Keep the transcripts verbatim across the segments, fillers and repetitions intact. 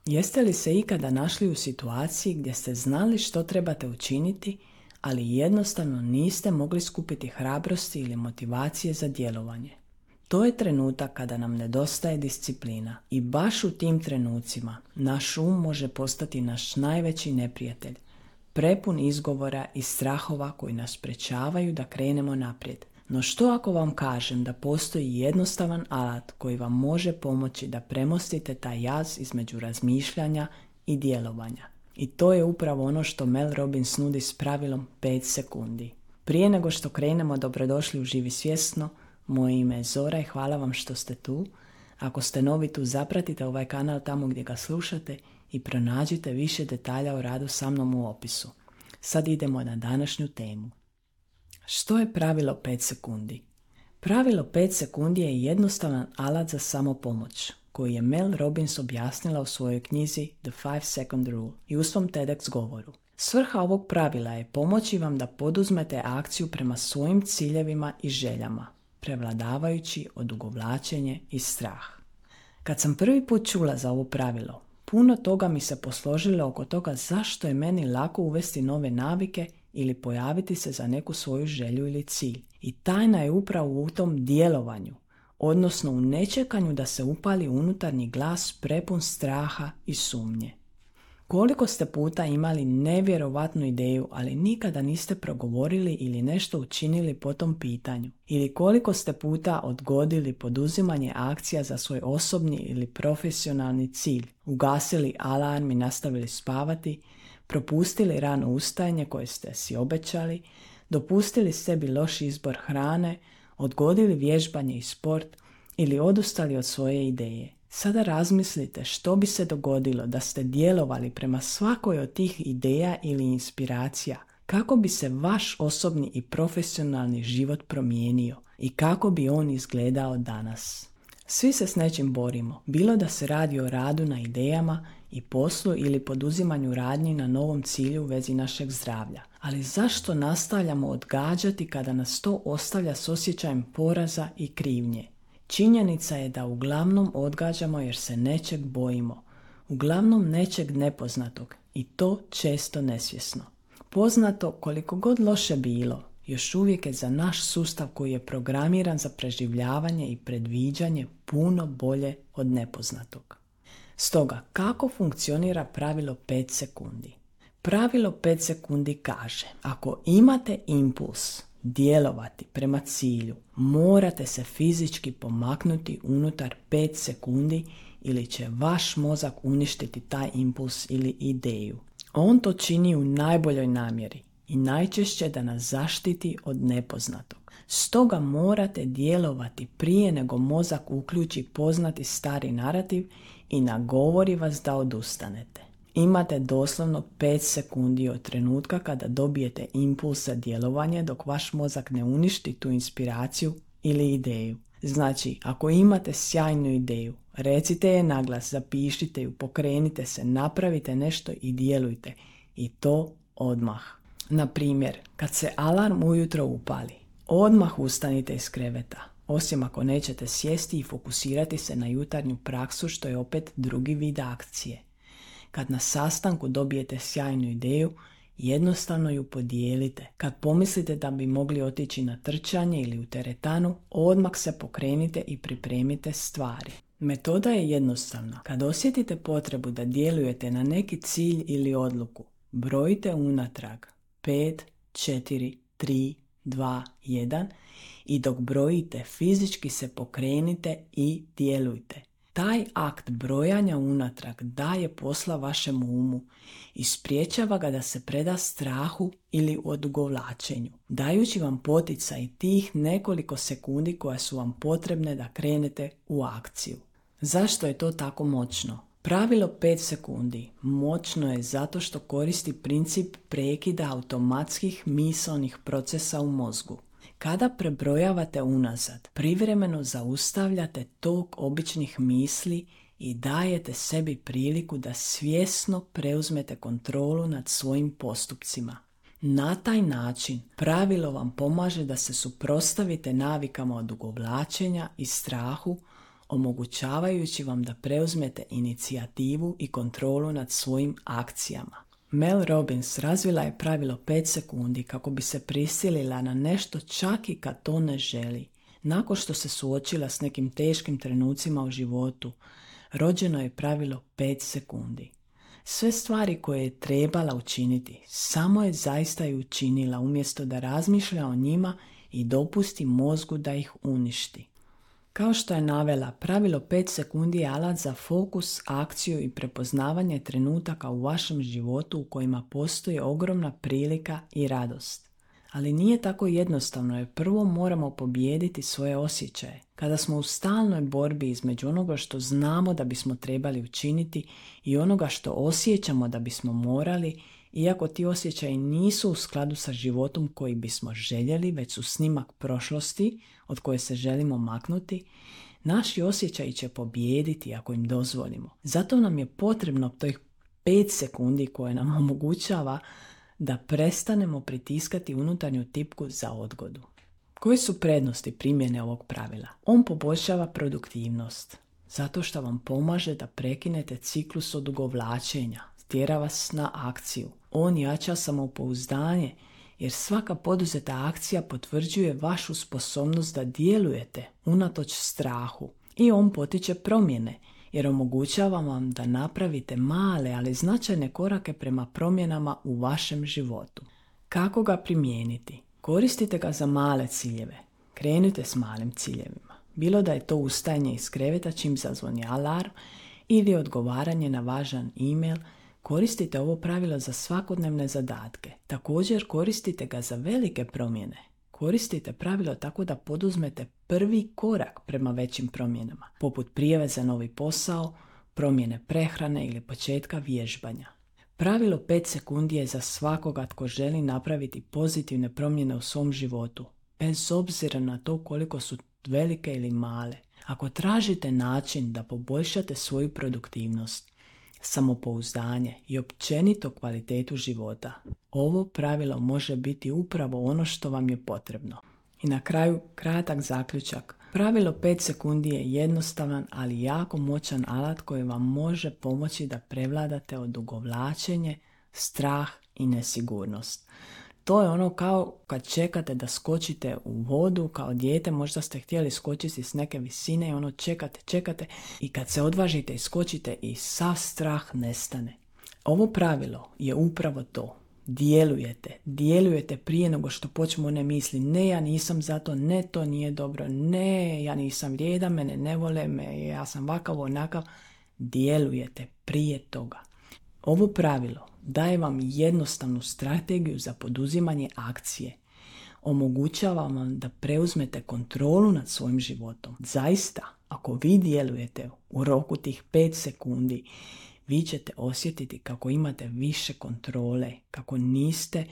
Jeste li se ikada našli u situaciji gdje ste znali što trebate učiniti, ali jednostavno niste mogli skupiti hrabrosti ili motivacije za djelovanje? To je trenutak kada nam nedostaje disciplina i baš u tim trenucima naš um može postati naš najveći neprijatelj, prepun izgovora i strahova koji nas sprečavaju da krenemo naprijed. No što ako vam kažem da postoji jednostavan alat koji vam može pomoći da premostite taj jaz između razmišljanja i djelovanja? I to je upravo ono što Mel Robbins nudi s pravilom pet sekundi. Prije nego što krenemo, dobrodošli u Živi svjesno. Moje ime je Zora i hvala vam što ste tu. Ako ste novi tu, zapratite ovaj kanal tamo gdje ga slušate i pronađite više detalja o radu sa mnom u opisu. Sad idemo na današnju temu. Što je pravilo pet sekundi? Pravilo pet sekundi je jednostavan alat za samopomoć, koji je Mel Robbins objasnila u svojoj knjizi The five second rule i u svom TEDx govoru. Svrha ovog pravila je pomoći vam da poduzmete akciju prema svojim ciljevima i željama, prevladavajući odugovlačenje i strah. Kad sam prvi put čula za ovo pravilo, puno toga mi se posložilo oko toga zašto je meni lako uvesti nove navike ili pojaviti se za neku svoju želju ili cilj. I tajna je upravo u tom djelovanju, odnosno u nečekanju da se upali unutarnji glas prepun straha i sumnje. Koliko ste puta imali nevjerovatnu ideju, ali nikada niste progovorili ili nešto učinili po tom pitanju? Ili koliko ste puta odgodili poduzimanje akcija za svoj osobni ili profesionalni cilj? Ugasili alarm i nastavili spavati, propustili rano ustajanje koje ste si obećali, dopustili sebi loš izbor hrane, odgodili vježbanje i sport ili odustali od svoje ideje. Sada razmislite što bi se dogodilo da ste djelovali prema svakoj od tih ideja ili inspiracija, kako bi se vaš osobni i profesionalni život promijenio i kako bi on izgledao danas. Svi se s nečim borimo, bilo da se radi o radu na idejama i poslu ili poduzimanju radnji na novom cilju u vezi našeg zdravlja. Ali zašto nastavljamo odgađati kada nas to ostavlja s osjećajem poraza i krivnje? Činjenica je da uglavnom odgađamo jer se nečeg bojimo, uglavnom nečeg nepoznatog i to često nesvjesno. Poznato, koliko god loše bilo, još uvijek je za naš sustav koji je programiran za preživljavanje i predviđanje puno bolje od nepoznatog. Stoga, kako funkcionira pravilo pet sekundi? Pravilo pet sekundi kaže, ako imate impuls djelovati prema cilju, morate se fizički pomaknuti unutar pet sekundi ili će vaš mozak uništiti taj impuls ili ideju. On to čini u najboljoj namjeri i najčešće da nas zaštiti od nepoznatog. Stoga morate djelovati prije nego mozak uključi poznati stari narativ i nagovori vas da odustanete. Imate doslovno pet sekundi od trenutka kada dobijete impuls za djelovanje dok vaš mozak ne uništi tu inspiraciju ili ideju. Znači, ako imate sjajnu ideju, recite je naglas, zapišite ju, pokrenite se, napravite nešto i djelujte. I to odmah. Na primjer, kad se alarm ujutro upali, odmah ustanite iz kreveta, osim ako nećete sjesti i fokusirati se na jutarnju praksu, što je opet drugi vid akcije. Kad na sastanku dobijete sjajnu ideju, jednostavno ju podijelite. Kad pomislite da bi mogli otići na trčanje ili u teretanu, odmah se pokrenite i pripremite stvari. Metoda je jednostavna. Kad osjetite potrebu da djelujete na neki cilj ili odluku, brojite unatrag pet, četiri, tri, dva, jedan i dok brojite fizički se pokrenite i djelujte. Taj akt brojanja unatrag daje posla vašem umu i spriječava ga da se preda strahu ili odugovlačenju, dajući vam poticaj tih nekoliko sekundi koja su vam potrebne da krenete u akciju. Zašto je to tako moćno? Pravilo pet sekundi moćno je zato što koristi princip prekida automatskih misaonih procesa u mozgu. Kada prebrojavate unazad, privremeno zaustavljate tok običnih misli i dajete sebi priliku da svjesno preuzmete kontrolu nad svojim postupcima. Na taj način pravilo vam pomaže da se suprotstavite navikama odugovlačenja i strahu, omogućavajući vam da preuzmete inicijativu i kontrolu nad svojim akcijama. Mel Robbins razvila je pravilo pet sekundi kako bi se prisilila na nešto čak i kad to ne želi. Nakon što se suočila s nekim teškim trenucima u životu, rođeno je pravilo pet sekundi. Sve stvari koje je trebala učiniti, samo je zaista i učinila umjesto da razmišlja o njima i dopusti mozgu da ih uništi. Kao što je navela, pravilo pet sekundi je alat za fokus, akciju i prepoznavanje trenutaka u vašem životu u kojima postoji ogromna prilika i radost. Ali nije tako jednostavno jer prvo moramo pobijediti svoje osjećaje. Kada smo u stalnoj borbi između onoga što znamo da bismo trebali učiniti i onoga što osjećamo da bismo morali, iako ti osjećaji nisu u skladu sa životom koji bismo željeli, već su snimak prošlosti od koje se želimo maknuti, naši osjećaji će pobijediti ako im dozvolimo. Zato nam je potrebno tih pet sekundi koje nam omogućava da prestanemo pritiskati unutarnju tipku za odgodu. Koje su prednosti primjene ovog pravila? On poboljšava produktivnost, zato što vam pomaže da prekinete ciklus odugovlačenja, tjera vas na akciju. On jača samopouzdanje, jer svaka poduzeta akcija potvrđuje vašu sposobnost da djelujete unatoč strahu. I on potiče promjene, jer omogućava vam da napravite male, ali značajne korake prema promjenama u vašem životu. Kako ga primijeniti? Koristite ga za male ciljeve. Krenite s malim ciljevima. Bilo da je to ustajanje iz kreveta čim zazvoni alarm ili odgovaranje na važan e-mail, koristite ovo pravilo za svakodnevne zadatke. Također koristite ga za velike promjene. Koristite pravilo tako da poduzmete prvi korak prema većim promjenama, poput prijave za novi posao, promjene prehrane ili početka vježbanja. Pravilo pet sekundi je za svakoga tko želi napraviti pozitivne promjene u svom životu, bez obzira na to koliko su velike ili male. Ako tražite način da poboljšate svoju produktivnost, samopouzdanje i općenito kvalitetu života, ovo pravilo može biti upravo ono što vam je potrebno. I na kraju kratak zaključak. Pravilo pet sekundi je jednostavan, ali jako moćan alat koji vam može pomoći da prevladate odugovlačenje, strah i nesigurnost. To je ono kao kad čekate da skočite u vodu kao dijete, možda ste htjeli skočiti s neke visine i ono čekate, čekate i kad se odvažite i skočite i sav strah nestane. Ovo pravilo je upravo to. Djelujete, djelujete prije nego što počnu one misli, ne ja nisam zato, ne to nije dobro, ne ja nisam vrijedan, mene ne vole, me, ja sam vakav, onakav. Djelujete prije toga. Ovo pravilo daje vam jednostavnu strategiju za poduzimanje akcije. Omogućava vam da preuzmete kontrolu nad svojim životom. Zaista, ako vi djelujete u roku tih pet sekundi, vi ćete osjetiti kako imate više kontrole, kako niste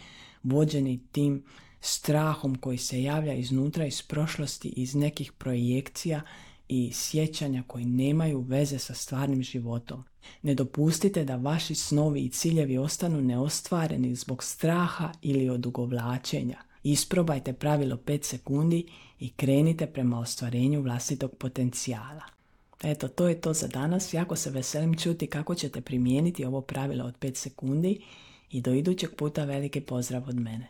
vođeni tim strahom koji se javlja iznutra, iz prošlosti, iz nekih projekcija i sjećanja koji nemaju veze sa stvarnim životom. Ne dopustite da vaši snovi i ciljevi ostanu neostvareni zbog straha ili odugovlačenja. Isprobajte pravilo pet sekundi i krenite prema ostvarenju vlastitog potencijala. Eto, to je to za danas. Jako se veselim čuti kako ćete primijeniti ovo pravilo od pet sekundi i do idućeg puta veliki pozdrav od mene.